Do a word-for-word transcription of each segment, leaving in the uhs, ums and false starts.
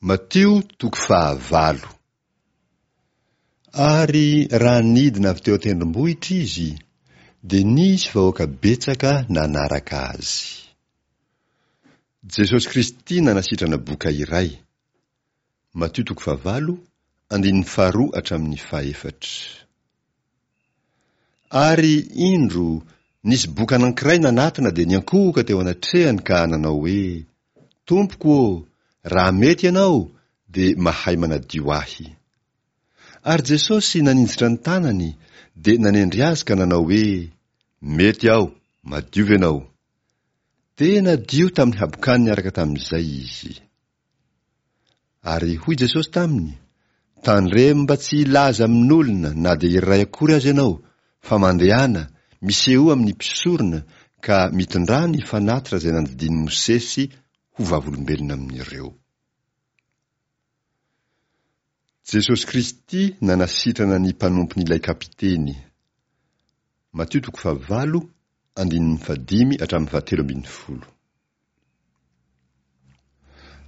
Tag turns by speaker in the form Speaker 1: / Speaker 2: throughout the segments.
Speaker 1: Matio toko fahavalo. Ary raha nidina avy teo an-tendrombohitra izy, dia nisy vahoaka betsaka nanaraka azy. Jesosy Kristy nanasitrana boka iray. Matio toko fahavalo, andininy faharoa hatramin'ny fahefatra. Ary indro, nisy boka anankiray nanatona dia niankohoka teo anatrehany ka nanao hoe, Tompoko ô, raha mety ianao, dia mahay manadio ahy. Ary Jesosy naninjitra ny tanany, dia nanendry azy ka nanao hoe, Mety aho, madiova ianao. Dia nadio tamin'ny habokany niaraka tamin'izay izy. Ary hoy Jesosy taminy, Tandremo mba tsy hilaza amin'olona na dia iray akory aza ianao, fa mandehana, misehoa amin'ny mpisorona, ka mitondrà ny fanatitra izay nandidian'i Mosesy ho vavolombelona amin'ireo. Jesosy Kristy nanasitrana ny mpanompon'ilay kapiteny. Matio toko fahavalo, andininy fahadimy hatramin'ny fahatelo ambin'ny folo.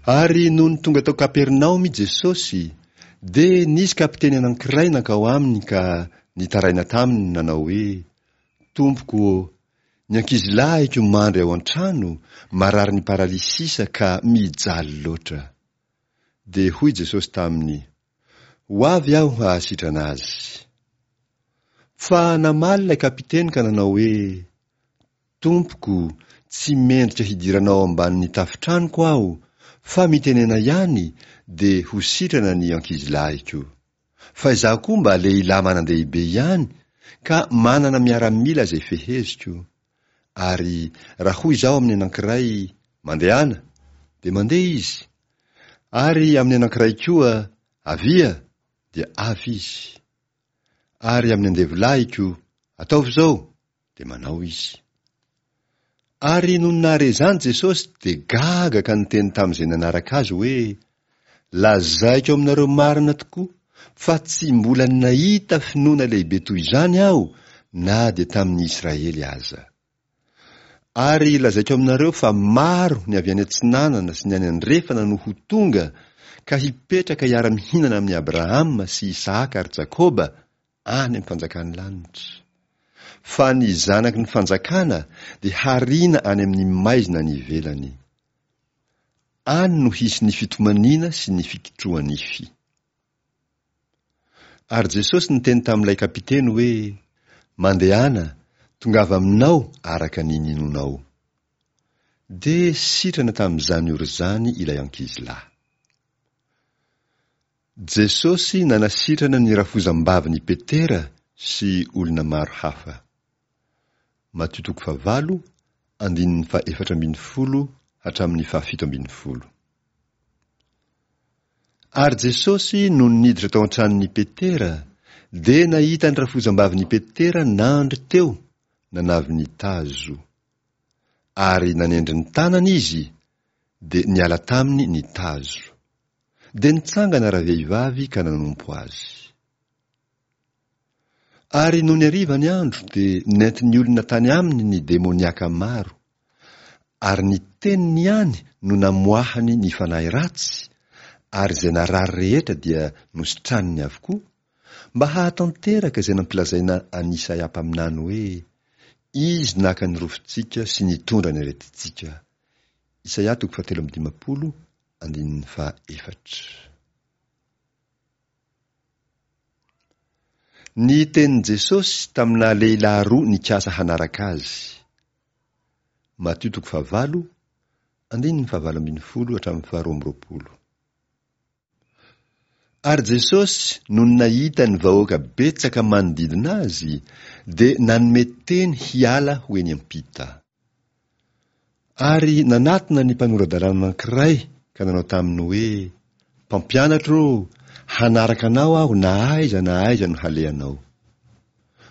Speaker 1: Ary nony tonga tao Kapernaomy Jesosy, dia nisy kapiteny anankiray nankao aminy ka nitaraina taminy nanao hoe, Tompoko ô, ny ankizilahiko mandry ao an-trano, mararin'ny paralysisa ka mijaly loatra. Dia hoy Jesosy taminy, Ho avy aho hahasitrana azy. Fa namaly ilay kapiteny ka nanao hoe, Tompoko, tsy mendrika hidiranao ao ambanin'ny tafon-tranoko aho, fa mitenena ihany, dia ho sitrana ny ankizilahiko. Fa izaho koa mba lehilahy manan-dehibe ihany, ka manana miaramila izay feheziko. Ary raha hoy izaho amin'ny anankiray, Mandehana, dia mandeha izy. Ary amin'ny anankiray koa, Avia, dia avy izy. Ary amin'ny andevolahiko, Ataovy izao, dia manao izy. Ary nony nahare izany Jesosy dia gaga ka niteny tamin'izay nanaraka azy hoe, Lazaiko aminareo marina tokoa fa tsy mbola nahita finoana lehibe toy izany aho na dia tamin'ny Israely aza. Ary lazaiko aminareo fa maro ny avy any atsinanana sy ny any andrefana no ho tonga ka hipetraka hiara-mihinana amin'i Abrahama sy Isahaka ary Jakoba any amin'ny fanjakan'ny lanitra. Fa ny zanaky ny fanjakana dia hariana any amin'ny maizina any ivelany. Any no hisy ny fitomaniana sy ny fikitroha-nify. Ary Jesosy niteny tamin'ilay kapiteny hoe, Mandehana, tongava aminao araka ny ninonao. Dia sitrana tamin'izany ora izany ilay ankizilahy. Jesosy nanasitrana ny rafozam-bavin'i Petera sy olona maro hafa. Matio toko fahavalo, andininy fahaefatra ambin'ny folo hatramin'ny fahafito ambin'ny folo. Ary Jesosy nony niditra tao an-tranon'i Petera, dia nahita ny rafozam-bavin'i Petera nandry teo, nanavy ny tazo. Ary nanendry ny tanany izy, dia niala taminy ny tazo. Dia nitsangana ravehivavy ka nanompo azy. Ary nony hariva ny andro, dia nentin'ny olona tany aminy ny demoniaka maro. Ary ny teniny ihany no namoahany ny fanahy ratsy, ary izay narary rehetra dia nositraniny avokoa, mba hahatanteraka izay nampilazaina an'i Isaia mpaminany hoe, Izy naka ny rofintsika sy nitondra ny aretintsika. Isaia toko fahatelo amby dimampolo, andininy fahaefatra. Ny tenin'i Jesosy tamina lehilahy roa nikasa hanaraka azy. Matio toko fahavalo, andininy fahavalo ambin'ny folo hatramin'ny faharoa amby roapolo. Ary Jesosy nony nahita ny vahoaka betsaka manodidina azy, dia nanome teny hiala ho eny am-pita. Ary nanatona ny mpanora-dalàna anankiray ka nanao taminy hoe, Mpampianatra ô, hanaraka anao aho na aiza na aiza no halehanao.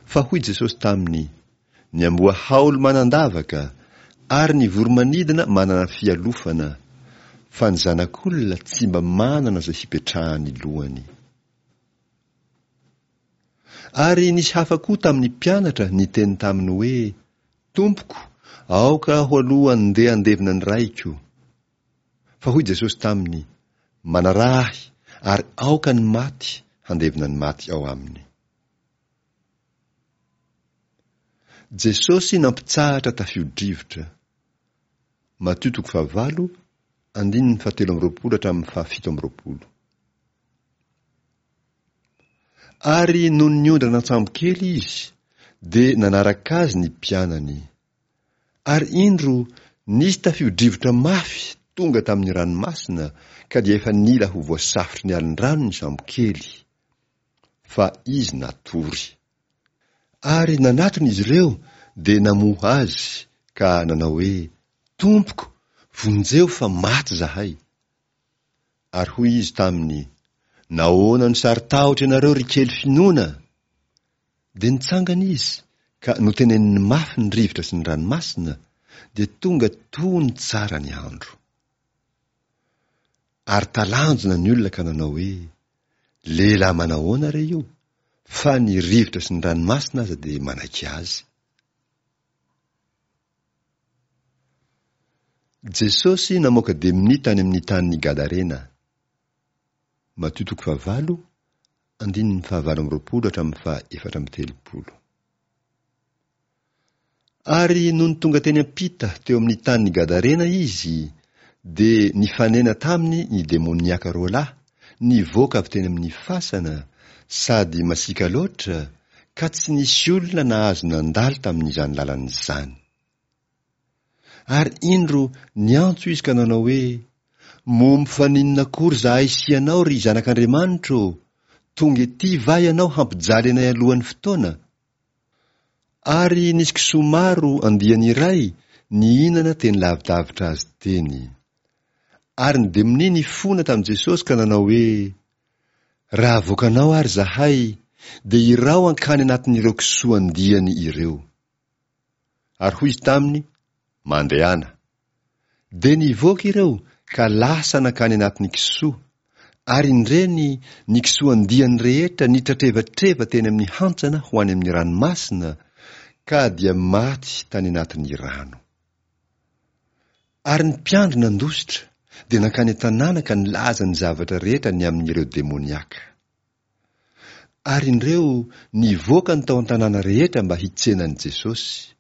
Speaker 1: Fa hoy Jesosy taminy, Ny amboa haolo manan-davaka, ary ny voro-manidina manana fialofana, fa ny Zanak'olona tsy mba manana izay hipetrahan'ny lohany. Ary nisy hafa koa tamin'ny mpianatra niteny taminy hoe, Tompoko, aoka aho aloha andeha handevina ny raiko. Fa hoy Jesosy taminy, Manaraha ahy, ary aoka ny maty handevina ny maty ao aminy. Jesosy nampitsahatra tafio-drivotra. Matio toko fahavalo, andininy fahatelo amby roapolo hatramin'ny fahafito amby roapolo. Ary nony niondrana an-tsambo kely izy, dia nanaraka azy ny mpianany. Ary indro, nisy tafio-drivotra mafy tonga tamin'ny ranomasina, ka dia efa nila ho voasafotry ny alin-drano ny sambo kely. Fa izy natory. Ary nanatona izy ireo, dia namoha azy, ka nanao hoe, Tompoko, vonjeo fa maty izahay. Ary hoy izy taminy, Nahoana no saro-tahotra ianareo, ry kely finoana? Dia nitsangana izy, ka noteneniny mafy ny rivotra sy ny ranomasina, dia tonga tony tsara ny andro. Ary talanjona ny olona ka nanao hoe, Lehilahy manahoana re io, fa ny rivotra sy ny ranomasina aza dia manaiky azy. Jesosy namoaka demonia tany amin'ny tanin'i Gadarena. Matio toko fahavalo, andininy fahavalo amby roapolo hatramin'ny faha efatra amby telopolo. Ary nony tonga teny am-pita teo amin'ny tanin'i Gadarena izy, dia nifanena taminy ny demoniaka roa lahy, nivoaka avy teny amin'ny fasana, sady masiaka loatra, ka tsy nisy olona nahazo nandalo tamin'izany lalana izany. Ary indro niantso izy ka nanao hoe, Moa mifaninona akory izahay sy ianao, ry Zanak'Andriamanitra ô? Tonga ety va ianao hampijaly anay alohan'ny fotoana? Ary nisy kisoa maro andiany iray nihinana teny lavidavitra azy teny. Ary ny demonia nifona tamin'i Jesosy ka nanao hoe, Raha avoakanao ary izahay, dia iraho hankany anatin'ireo kisoa andiany ireo. Ary hoy izy taminy, Mandehana. Dia nivoaka ireo ka lasa nankany anatin'ny kisoa, ary indreny ny kisoa andiany rehetra nitratrevatreva teny amin'ny hantsana ho any amin'ny ranomasina, ka dia maty tany anatin'ny rano. Ary ny mpiandry nandositra, dia nankany an-tanàna ka nilaza ny zavatra rehetra ny amin'ireo demoniaka. Ary indreo nivoaka ny tao an-tanàna rehetra mba hitsena an'i Jesosy.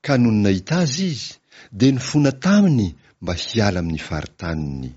Speaker 1: Ka nony nahita azy izy, dia nifona taminy mba hiala amin'ny faritaniny.